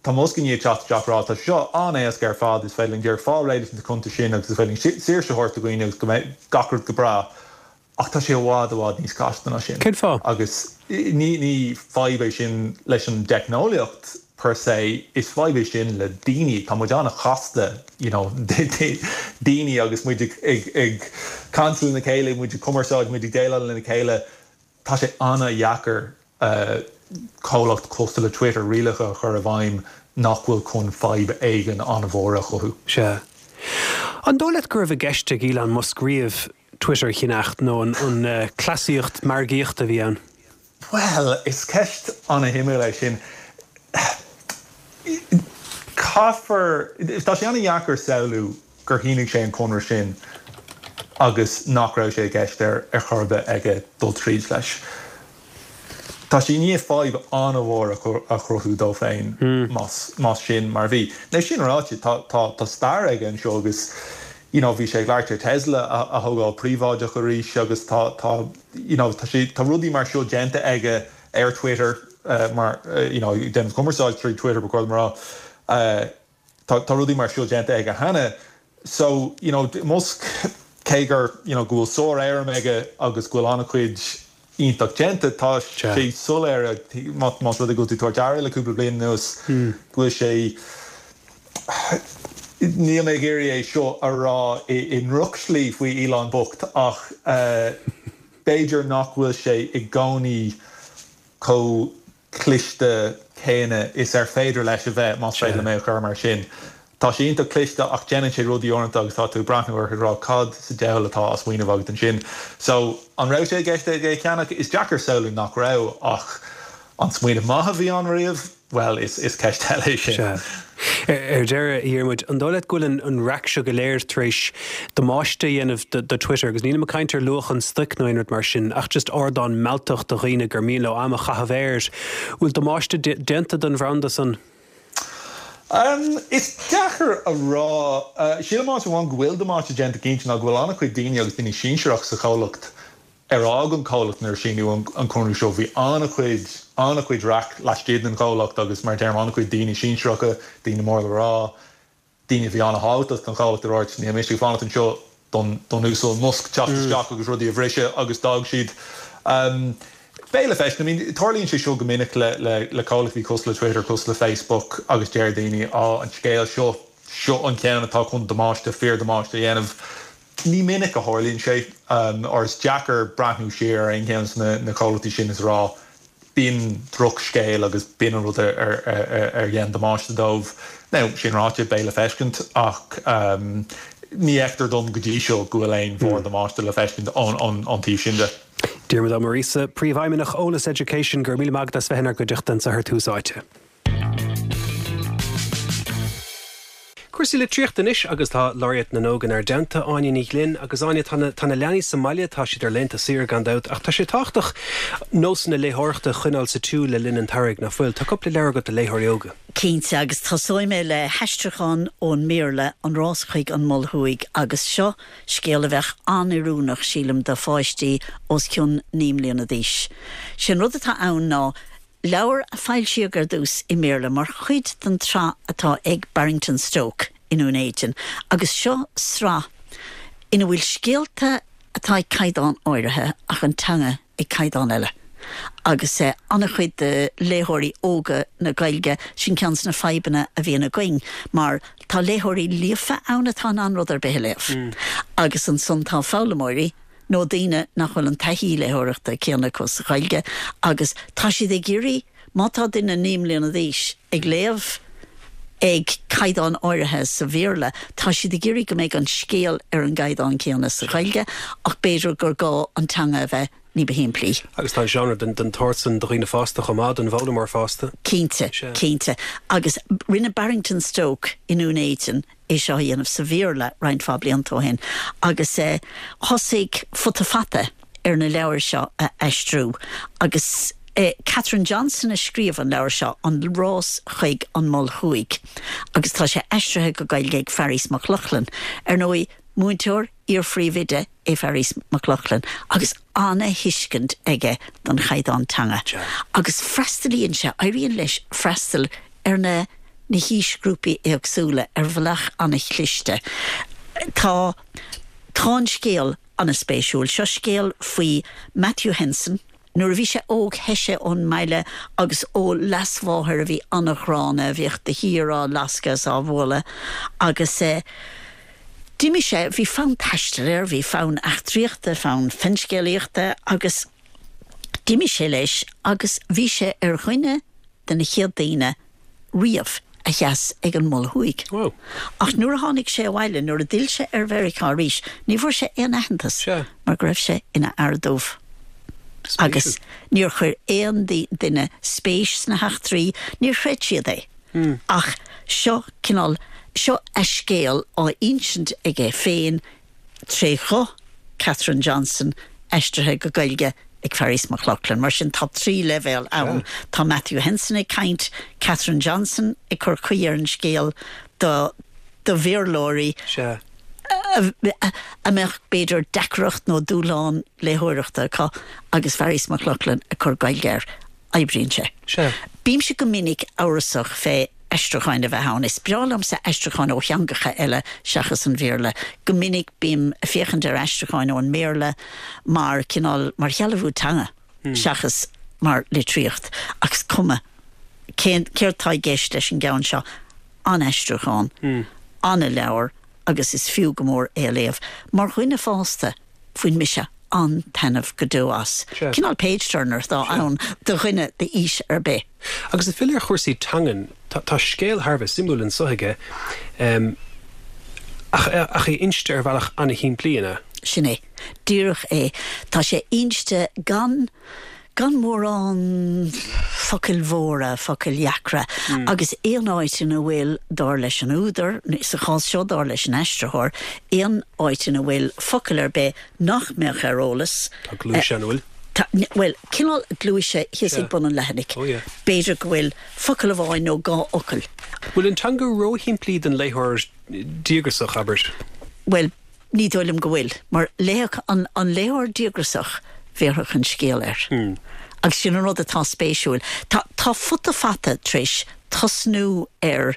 tá Musk i ndiaidh teacht isteach ag rá tá sé seo an-éasca ar fad, is féidir linn díreach fáil réidh leis na cuntais sin agus is féidir linn saoirse a thabhairt do dhaoine agus go mbeidh gach rud go breá. Ach tá sé i bhfad, i bhfad níos casta ná sin. Cén fáth? Agus ní, ní fadhb é sin leis an dteicneolaíocht per se, is fadhb é sin le daoine. Tá muid an-chasta, you know, daoine agus muid ag, ag, ag caint lena chéile, muid ag cumarsáid, muid ag déileáil lena chéile. Tá sé an-dheacair comhlacht cosúil le Twitter rialacha a chur i bhfeidhm nach bhfuil chun fadhb éigin an-mhór a chothú. Sea. An dóigh leat go raibh i gceist ag Elon Musk riamh Twitter a cheannacht nó an cleasaíocht margaíochta a bhí ann? Bhuel, is ceist an-shuimiúil é sin. Caithfear, tá sé an-dheacair samhlú gur shínigh sé an conradh sin agus nach raibh sé i gceist ar chor ar bith aige dul tríd leis. Tá sé i ndiaidh fadhb an-mhór a chruthú dó féin más sin mar a bhí. Now sin ráite, tá stair aige anseo agus you know bhí sé ag labhairt ar Tesla a thógáil príobháideach arís agus tá tá you know tá sé tá rudaí mar seo déanta aige ar Twitter mar you know ag déanamh cumarsáid trí Twitter ba chóir dom a rá. Tá tá rudaí mar seo déanta aige cheana. So you know Musk cé gur you know go bhfuil sár-éirim aige agus go bhfuil an-chuid iontach déanta. Tá sé soiléir, más rud é go bhfuil tú ag tabhairt aire le cúpla bliain anuas, go bhfuil sé, níl mé ag iarraidh é seo a rá i ndrochshlí faoi Elon bocht ach b'fhéidir nach bhfuil sé i gcónaí chomh cliste céanna is ar féidir leis a bheith, más féidir liom é a chur mar sin. Tá sé iontach cliste ach déanann sé rudaí uaireanta agus tá tú ag breathnú air ag rá cad sa diabhal atá á smaoineamh agat ansin. So, an raibh sé i gceist aige é a cheannach? Is deacair samhlú nach raibh ach an smaoineamh maith a bhí ann riamh? Bhuel, is is ceist eile é sin. Sea. Ar deireadh, a Dhiarmuid, an dóigh leat go bhfuil an raic seo go léir tar éis damáiste a dhéanamh do Twitter, agus nílim ag caint ar luach an stoic nó aon rud mar sin, ach just ardán mealltach do dhaoine gur mian leo am a chaitheamh air. Bhfuil damáiste déanta don bhranda san? Is deacair a rá. Sílim áit amháin go bhfuil damáiste déanta cinnte ná go bhfuil an-chuid daoine agus daoine sinsearach sa chomhlacht ar fhág an comhlacht nuair a síníodh an conradh seo. Bhí an-chuid, an-chuid raic laistigh den chomhlacht agus mar a deirim an-chuid daoine sinsearacha, daoine mór le rá, daoine a bhí an-thábhachtach don chomhlacht a dúirt níl mise ag fanacht anseo don don Uasal Musk teacht isteach agus rudaí a bhriseadh agus d'fhág siad. Beidh le feiscint. I mean, tarlaíonn sé seo go minic le le le comhlachtaí cosúil le Twitter, cosúil le Facebook agus deir daoine, á, an scéal seo, seo an ceann atá chun damáiste, fíor-damáiste a dhéanamh. Ní minic a tharlaíonn sé, or is deacair breathnú siar ar aon cheann de na comhlachtaí sin is a rá, b'in drochscéal agus b'in an rud ar ar dhein damáiste dóibh. Now, sin ráite, beidh le feiscint ach ní fheictear dom go dtí seo go bhfuil aon mhór-damáiste le feiscint ón taobh sin de. Diarmuid Ó Muiríosa, Príomhfheidhmeannach Eolas Education, go raibh míle maith agat as bheith inár gcuideachta anseo ar Tús Áite. Cúrsaí litríochta anois agus tá Laureate na nÓg inár dteannta, Áine Ní Ghlinn. Agus Áine, tá na, tá na leanaí sa mbaile, tá siad ar laethanta saoire gan dabht, ach tá sé tábhachtach nósanna léitheoireachta a choinneáil sa tsiúl le linn an tsamhraidh, nach bhfuil? Tá cúpla leabhar agat do léitheoirí óga. Cinnte, agus tosóidh mé le haistriúchán ón mBéarla, An Rás Chuig an Mol Thuaidh, agus seo scéal a bheadh an-oiriúnach, sílim, do pháistí os cionn naoi mbliana d'aois. Sé an rud atá ann ná leabhar a foilsíodh ar dtús i mBéarla mar chuid den tsraith atá ag Barrington Stoke i nDún Éideann, agus seo sraith ina bhfuil scéalta atá ag caighdeán áirithe ach an teanga ag caighdeán eile. Agus an-chuid de léitheoirí óga na Gaeilge, sin ceann de na fadhbanna a bhíonn againn, mar tá léitheoirí líofa ann atá in ann rud ar bith a léamh, agus ansan tá foghlaimeoirí nó daoine nach bhfuil an taithí léitheoireachta céanna acu sa Ghaeilge agus tá siad ag iarraidh, má tá duine naoi mbliana d'aois ag léamh ag caighdeán áirithe sa Bhéarla, tá siad ag iarraidh go mbeidh an scéal ar an gcaighdeán céanna sa Ghaeilge ach b'fhéidir gur gá an teanga a bheith ní ba shimplí. Agus tá an seánra den den tsórt san do dhaoine fásta chomh maith, don bhfoghlaimeoir fásta. Cinnte, cinnte. Agus rinne Barrington Stoke i nDún Éideann é seo a dhéanamh sa Bhéarla roinnt mhaith blianta ó shin agus thosaigh Futa Fata ar na leabhair seo a aistriú agus Catherine Johnson a scríobh an leabhar seo, An Rás Chuig an Mol Thuaidh, agus tá sé aistrithe go Gaeilge ag Fearghas Mac Lochlainn. Ar ndóigh, múinteoir, iar-phríomhoide é Fearghas Mac Lochlainn agus ana-thuiscint aige don chaighdeán teanga agus freastalaíonn sé, éiríonn leis freastal ar na na haoisghrúpaí éagsúla ar bhealach ana-chliste. Tá tá an scéal ana-spéisiúil. Seo scéal faoi Matthew Henson. Nuair a bhí sé óg theith sé ón mbaile agus ó leasmháthair a bhí ana-ghránna, a bhíodh de shíor á lascadh is á bhualadh agus d'imigh sé, bhí fonn taistil air, bhí fonn eachtraíochta, fonn finscéalaíochta agus d'imigh sé leis agus bhí sé ar dhuine de na chéad daoine riamh a sheas ag an Mol Thuaidh. Ach nuair a tháinig sé abhaile, nuair a d'fhill sé ar Mheiriceá arís, ní bhfuair sé aon aitheantas mar go raibh sé ina fhear dubh. Agus níor chuir aon duine spéis sna heachtraí, níor chreid siad é. Ach seo cineál, seo a scéal á insint aige féin tré ghuth Catherine Johnson, aistrithe go Gaeilge ag Fearghas Mac Lochlainn. Mar sin tá trí leibhéal ann. Tá Matthew Henson ag caint, Catherine Johnson ag cur caoi ar an scéal do do Bhéarlóirí a mbeadh b'fhéidir deacracht nó dúshlán léitheoireachta acu agus Fearghas Mac Lochlainn ag cur Gaeilge air. Oibríonn sé. Bímse go minic amhrasach fé aistriúcháin a bheith ann. Is breá liomsa aistriúcháin ó theangacha eile seachas an Bhéarla. Go minic bím ag féachaint ar aistriúcháin ón mBéarla mar cineál, mar shealbhú teanga. seachas mar litríocht, ach is cuma cén céard tá i gceist leis an gceann seo, an-aistriúchán, an-leabhar agus is fiú go mór é a léamh. Mar dhuine fásta, bhain mise an-taitneamh go deo as. Cineál page turner atá ann do dhuine d'aois ar bith. Agus ag filleadh ar chúrsaí teangan, tá scéal thar a bheith suimiúil anseo aige, ach ach é inste ar bhealach an-shimplí, an ea? Sin é. Díreach é. Tá sé inste gan gan mórán focail mhóra, focail dheacra, agus aon áit ina bhfuil, dar leis an údar, sa chás seo dar leis an aistritheoir, aon áit ina bhfuil focal ar bith nach mbeadh ar eolas. Tá gluais ann, an bhfuil? Tá, bhuel, cineál gluaise thíos ag bun an leathanaigh. Oh yeah. B'fhéidir go bhfuil focal amháin nó dhá fhocal. Bhfuil an teanga róshimplí don léitheoir díograsach, abair? Bhuel, ní dóigh liom go bhfuil, mar léifeadh an an léitheoir díograsach, bhéarfadh an scéal air. Agus sin an rud atá spéisiúil. Tá tá Futa Fata tar éis tosnú ar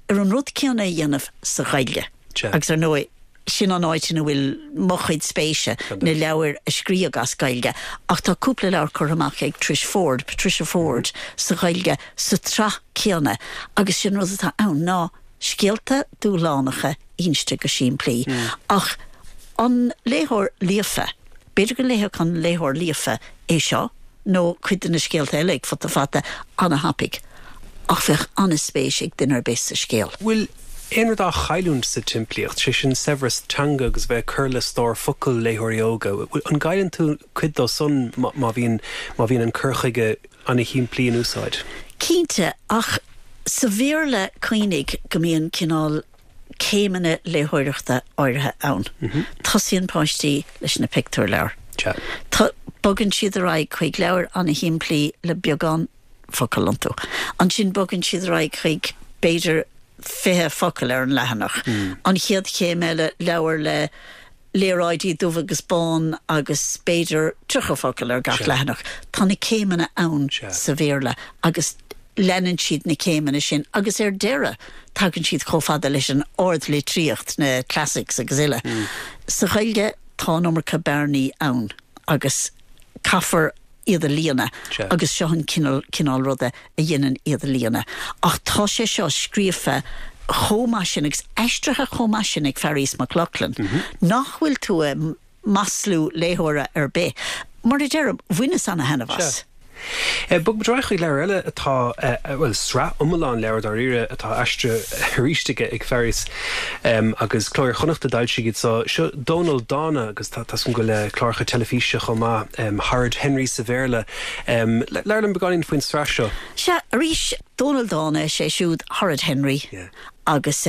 ar an rud céanna a dhéanamh sa Ghaeilge. Agus ar ndóigh, sin an áit ina bhfuil mo chuid spéise, na leabhair a scríobhadh as Gaeilge. Ach tá cúpla leabhar curtha amach ag Trish Ford, Patricia Forde, sa Ghaeilge sa tsraith céanna agus sin rud atá ann ná scéalta dúshlánacha inste go simplí. Ach an léitheoir líofa, b'fhéidir go léifeadh an léitheoir líofa é seo nó cuid de na scéalta eile ag Futa Fata an-thapaidh, ach bheadh an-spéis ag duine ar bith sa scéal. Bhfuil aon rud á chailliúint sa tsimplíocht, sé sin saibhreas teanga agus bheith ag cur le stór focal léitheoirí óga? An gcailleann tú cuid dó san má bhíonn má bhíonn an cur chuige an-shimplí in úsáid? Cinnte, ach sa Bhéarla cuimhnigh go mbíonn cineál céimeanna léitheoireachta áirithe ann. Tosaíonn páistí leis na pictiúrleabhair. Bogann siad ar aghaidh chuig leabhair an-shimplí le beagán focal iontu. Ansin bogann siad ar aghaidh chuig b'fhéidir fiche focal ar an leathanach. An chéad chéim eile, leabhar le léaráidí dubh agus bán agus b'fhéidir tríocha focal ar gach leathanach. Tá na céimeanna ann sa Bhéarla agus leanann siad na céimeanna sin agus ar deireadh tagann siad chomh fada leis an ardlitríocht, na classics agus uile. Sa Ghaeilge tá an iomarca bearnaí ann agus caithfear iad a líonadh agus seo an cineál cineál ruda a dhéanann iad a líonadh. Ach tá sé seo scríofa chomh maith sin agus aistrithe chomh maith sin ag Fearghas Mac Lochlainn nach bhfuil tú ag maslú léitheora ar bith. Mar a deirim, bhaineas ana-thaitneamh as. Bogfaidh muid ar aghaidh chuig leabhar eile atá, bhuel, sraith iomlán leabhar dáiríre atá aistrithe arís aige ag Fearghas agus Cló Iar-Chonnacht a d'fhoilsigh iad so. Seo Dónal Dána agus tá 's agam go bhfuil cláracha teilifíse chomh maith, Horrid Henry sa Bhéarla. Labhair liom beagáinín faoin tsraith seo. Sea, arís, Dónal Dána, is é siúd Horrid Henry agus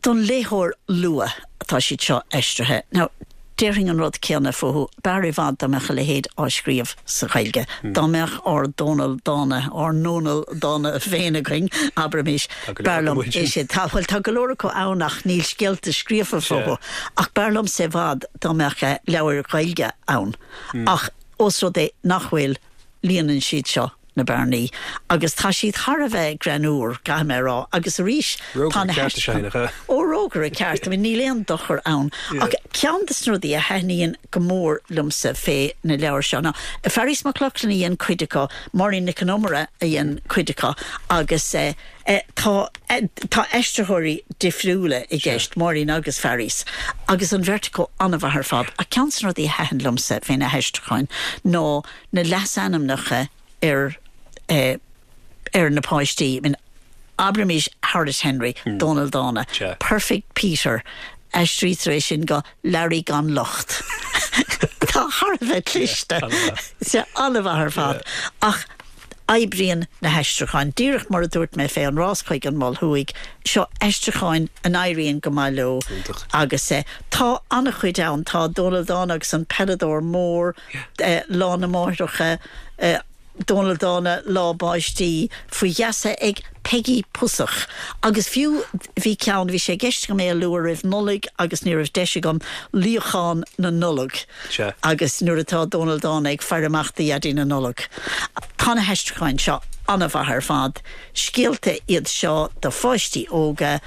don léitheoir luath atá siad seo aistrithe. Now, déarfainn an rud céanna fúthu, b'fhearr i bhfad dá mbeadh a leithéid á scríobh sa Ghaeilge. Dá mbeadh ár Dónal Dána, ár nDónal Dána féin againn, abraimis, b'fhearr liom é sin. Tá, bhuel, tá go leor acu ann ach níl scéalta scríofa fúthu. Ach b'fhearr liomsa i bhfad dá mbeadh leabhair Ghaeilge ann. Ach ós rud é nach bhfuil, líonann siad seo na bearnaí agus tá siad thar a bheith greannmhar, caithfidh mé a rá, agus arís tá na Rógaire ceart is ea é, nach ea? Ó, rógaire ceart, I mean níl aon dochar ann. Ach ceann de na rudaí a thaitníonn go mór liomsa fé na leabhair seo ná, Fearghas Mac Lochlainn a dhein cuid acu, Máirín Nic an Iomaire a dhein cuid acu agus eh tá tá aistritheoirí difriúla i gceist, Máirín agus Fearghas, agus an bheirt acu an-mhaith ar fad. Ach ceann de na rudaí a thaitin liomsa fé na haistriúcháin ná na leasainmneacha ar ar na páistí. I mean, abraimis Horrid Henry, Dónal Dána, Perfect Peter, aistrítear é sin go Learaí gan locht. Tá thar a bheith cliste. Sea, an-mhaith ar fad. Ach oibríonn na haistriúcháin. Díreach mar a dúirt mé fé An Rás chuig an Mol Thuaidh, seo aistriúcháin a n-éiríonn go maith leo agus tá an-chuid ann. Tá Dónal Dána agus an Peileadóir Mór, Lá na Máithreacha, Dónal Dána, Lá Báistí, Faoi Gheasa ag Peigí Pusach. Agus fiú bhí ceann, bhí sé i gceist agam é a lua roimh Nollaig agus ní raibh deis agam, Luíochán na Nollag agus nuair atá Dónal Dána ag faire amach do Dhaidí na Nollag. Tá na haistriúcháin seo an-mhaith ar fad. Scéalta iad seo do pháistí óga,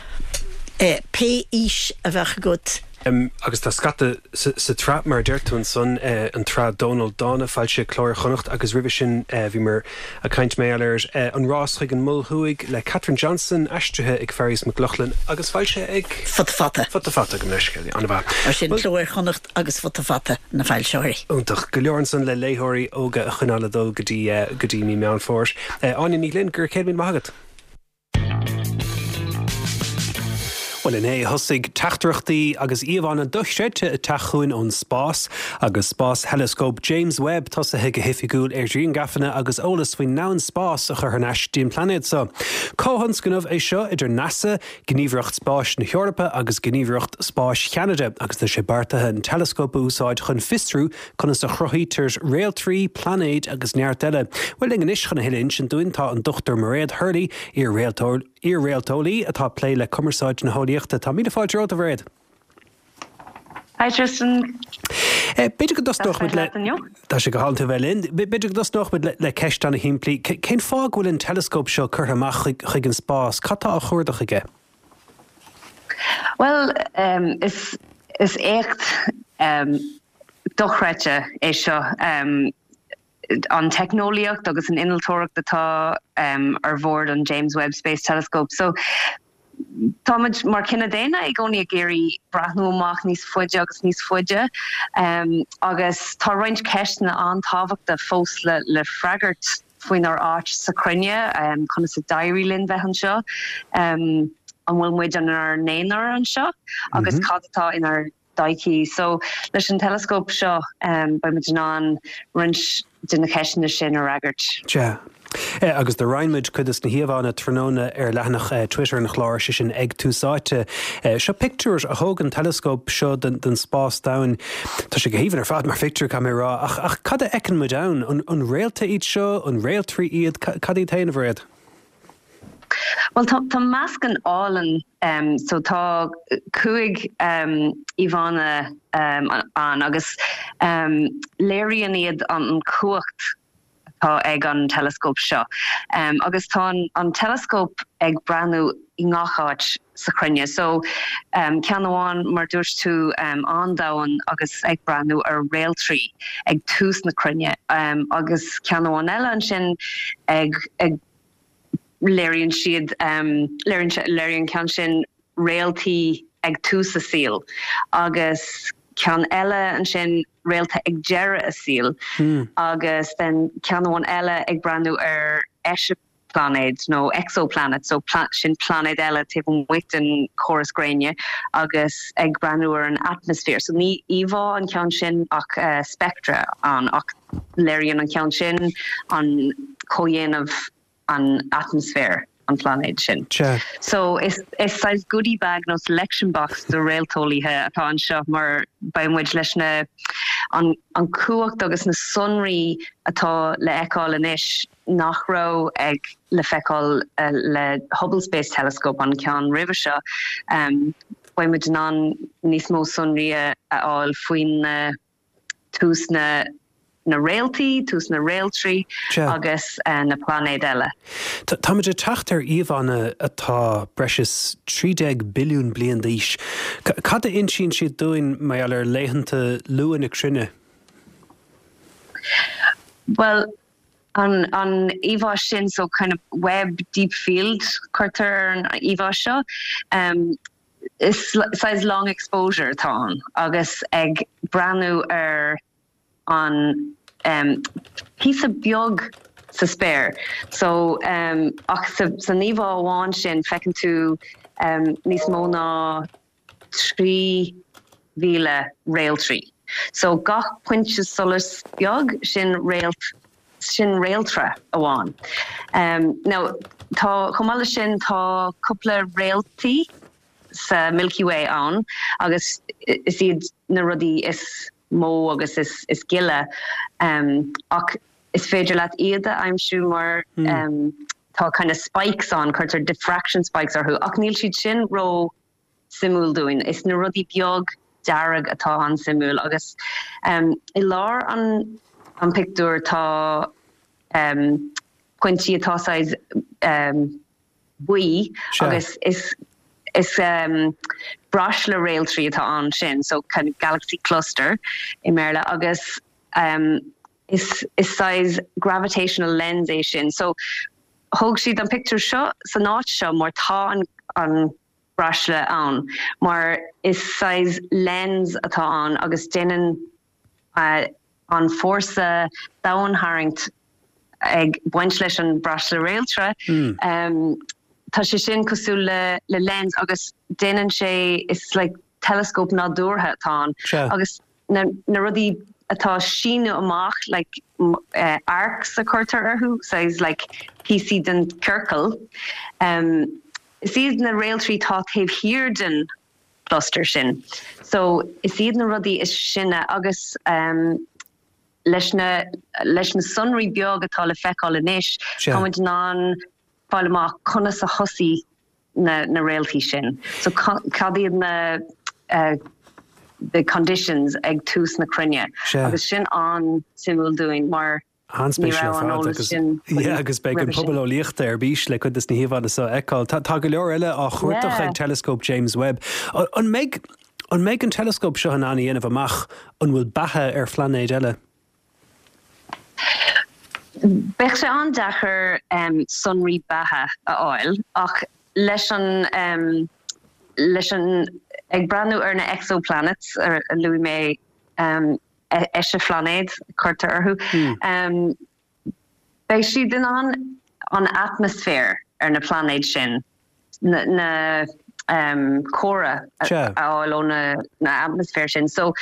pé aois a bheadh agat. Agus tá scata sa tsraith mar a deir tú ansan, an tsraith Dónal Dána, foilsithe Cló Iar-Chonnacht agus roimhe sin bhíomar ag caint mar gheall ar An Rás chuig an Mol Thuaidh le Catherine Johnson, aistrithe ag Fearghas Mac Lochlainn agus foilsithe ag. Futa Fata. Futa Fata, gabh mo leithscéal, an-mhaith. Mar sin, Cló Iar-Chonnacht agus Futa Fata na foilsitheoirí. Iontach. Go leor ansan le léitheoirí óga a choinneáil ag dul go dtí go dtí mí Meán Fómhair. Áine Ní Ghlinn, go raibh céad míle maith agat. Bhuel, inné thosaigh teachtaireachtaí agus íomhánna dochreidte ag teacht chugainn ón spás, agus spástheileascóp James Webb tosaithe go hoifigiúil ar ghrianghrafanna agus eolas faoin ndomhan spáis a chur thar n-ais dtí an pláinéad seo. Comhthionscnamh é seo idir NASA, Gníomhaireacht Spáis na hEorpa agus Gníomhaireacht Spáis Cheanada agus tá sé beartaithe an teileascóp a úsáid chun fiosrú conas a chruthaítear réaltraí, pláinéid agus neart eile. Bhuel, linn anois chun a thuilleadh a insint dúinn tá an Dochtúir Mairéad Hurley, iar-réalteolaí atá ag plé le cumarsáid na heolaíochta. Tá míle fáilte romhat, a Mhairéad. Hi Tristan. B'fhéidir go dtosnódh muid le. Tá sé go hálainn tú a bheith linn. B'fhéidir go dtosnódh muid le ceist ana-shimplí. Cén fáth go bhfuil an teileascóp seo curtha amach chuig an spás? Cad tá á chuardach aige? Bhuel, is is éacht dochreidte é seo. An teicneolaíocht agus an innealtóireacht atá ar bhord an James Webb Space Telescope. So, táimid mar chine daonna i gcónaí ag iarraidh breathnú amach níos faide agus níos faide agus tá roinnt ceisteanna an-tábhachtach fós le le freagairt faoinár áit sa chruinne, conas a d'éirigh linn bheith anseo, an bhfuil muid inár n-aonar anseo agus cad atá inár dtodhchaí. So, leis an teileascóp seo, beidh muid in ann roinnt de na ceisteanna sin a fhreagairt. Sea. Agus do roinn muid cuid de na híomhánna tráthnóna ar leathanach Twitter an chláir, sé sin ag Tús Áite. Seo pictiúr a thóg an teileascóp seo den spás domhain. Tá sé go haoibhinn ar fad mar phictiúr, caithfidh mé a rá, ach ach cad a fheiceann muid ann? An réalta iad seo? An réaltraí iad? Cad iad féin, a Mhairéad? Bhuel, tá tá meascán álainn um, so tá cúig um, íomhánna um, ann agus um, léiríonn iad an chumhacht atá ag an teileascóp seo. Um, agus tá an, an teileascóp ag breathnú i ngach áit sa chruinne. So um, ceann amháin mar dúirt tú um, an-domhain agus ag breathnú ar réaltraí ag tús na cruinne um, agus ceann amháin eile ansin ag, ag léiríonn siad léiríonn an ceann sin réaltaí ag tús a saoil agus ceann eile ansin réalta ag deireadh a saoil agus then ceann amháin eile ag breathnú ar eiseaphláinéid nó exoplanet so sin pláinéad eile taobh amuigh den chóras gréine agus ag breathnú ar an atmaisféar. So ní íomhá an ceann sin ach spectra ann ach léiríonn an ceann sin an comhdhéanamh an atmaisféar an phláinéid sin. So is is saghas goodie bag nó selection box do réalteolaithe atá anseo mar beidh muid leis na an an cumhacht agus na sonraí atá le feiceáil anois nach raibh ag le feiceáil le Hubble Space Telescope an ceann roimhe seo. Um, beidh muid in ann níos mó sonraí a fháil faoin na tús na na réaltaí, tús na réaltraí agus na pláinéid eile. Táimid ag teacht ar íomhánna atá breis is trí déag billiún bliain d'aois. Cad a insíonn siad dúinn mar gheall ar laethanta luath na cruinne? Bhuel, an an íomhá sin, so kind of Webb Deep Field cuirtear ar an íomhá seo, um, is saghas long exposure atá ann agus ag breathnú ar an um, píosa beag sa spéir. So um, ach sa, san íomhá amháin sin feiceann tú um, níos mó ná trí mhíle réaltraí. So gach pointe solais beag sin réalt sin réaltra amháin. Um, now tá chomh maith leis sin tá cúpla réaltaí sa Milky Way ann agus is iad na rudaí is mó agus is is gile um, ach is féidir leat iad a aimsiú mar mm. um, tá kind of spikes ann cuirtear diffraction spikes orthu ach níl siad sin ró suimiúil dúinn. Is na rudaí beag dearg atá an-suimiúil agus um, i lár an an pictiúr tá um, pointí atá saghas um, buí agus is is um, braisle réaltraí atá ansin so kind of galaxy cluster i mBéarla agus um, is is saghas gravitational lens é sin so thóg siad an pictiúr seo san áit seo mar tá an an braisle ann mar is saghas lens atá ann agus déanann uh, an fórsa domhaintharraingt ag baint leis an braisle réaltra mm. um, tá sé sin cosúil le le lens agus déanann sé is like telescope nádúrtha atá ann agus na, na rudaí atá síneadh amach like uh, arcs a cuirtear orthu saghas like píosaí den ciorcal um, is iad na réaltraí tá taobh thiar den cluster sin so is iad na rudaí is sine agus um, leis na leis na sonraí beag atá le feiceáil anois táimid in ann fáil amach conas a thosaigh na na réaltaí sin so cad iad na uh, the conditions ag tús na cruinne agus sin an-suimiúil dúinn mar An-spéisiúil ar fad agus yeah, agus beidh an pobal eolaíochta ar bís le cuid de na híomhánna seo a fheiceáil. Tá go leor eile á chuardach ag Telescope James Webb. An mbeidh an mbeidh an telescope seo in ann a dhéanamh amach an bhfuil beatha ar phláinéid eile? Beidh sé an-deacair um, sonraí beatha a fháil ach leis an um, leis an ag breathnú ar na exoplanets ar a luaigh mé um, eiseaphláinéid cuirtear orthu. Mm. Um, beidh siad in ann an atmaisféar ar na pláinéid sin na, na um, cora a fháil ó na, na atmaisféar sin. So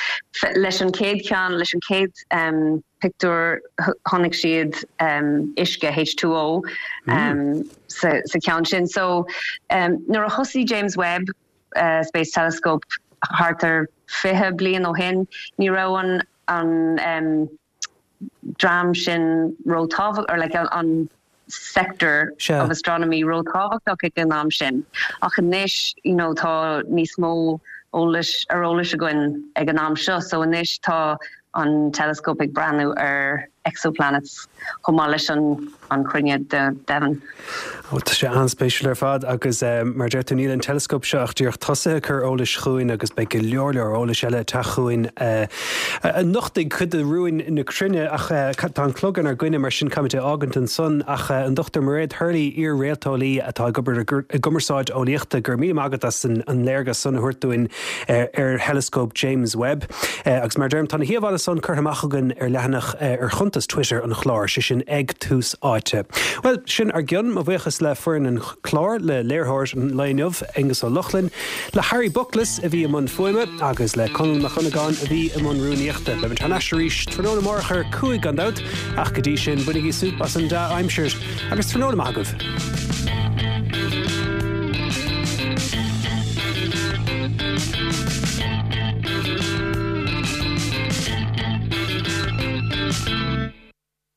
leis an chéad cheann leis an chéad um, pictiúr chonaic siad um, uisce H two O um, mm. sa, sa ceann sin. So um, nuair a thosaigh James Webb uh, Space Telescope thart ar fiche bliain ó shin, ní raibh an, an um, dream sin róthábhachtach or like an, an sector Sure. of astronomy róthábhachtach ag an am sin. Ach anois you know, tá níos mó eolais ar eolas againn ag an am seo, so anois tá an telescope ag breathnú ar exoplanets chomh maith leis an, an chruinne de deimhin. Ó, tá sé an-spéisiúil ar fad agus, eh, mar deir tú níl an telescope seo ach díreach tosaithe ag cur eolais chugainn agus beidh go leor leor eolais eile ag teacht chugainn, eh, a nochtfaidh cuid de rúin na cruinne ach, eh, tá an clog inár gcoinne mar sin caithfimid é a fhágaint ansan ach, eh, an Dochtúir Mairéad Hurley, iar-réalteolaí atá ag obair i gcur-, i gcumarsáid eolaíochta, go raibh míle maith agat as an, an léargas san a thabhairt dúinn, eh, ar Thelescope James Webb. Eh, agus mar deirim, tá na híomhánna san curtha amach againn ar leathanach, eh, ar chuntas Twitter an chláir, sé sin ag Tús Áite. Bhuel, sin ár gcionn, mo bhuíochas le foireann an chláir, le léiritheoir an lae inniu, Aengus Ó Lochlainn, le Harry Buckles a bhí i mbun fuaime agus le Conall Mac Dhonnagáin a bhí i mbun rúnaíochta. Beimid thar n-ais arís tráthnóna amárach ar cúig gan dabht, ach go dtí sin bainigí súp as an dea-aimsir agus tráthnóna maith agaibh.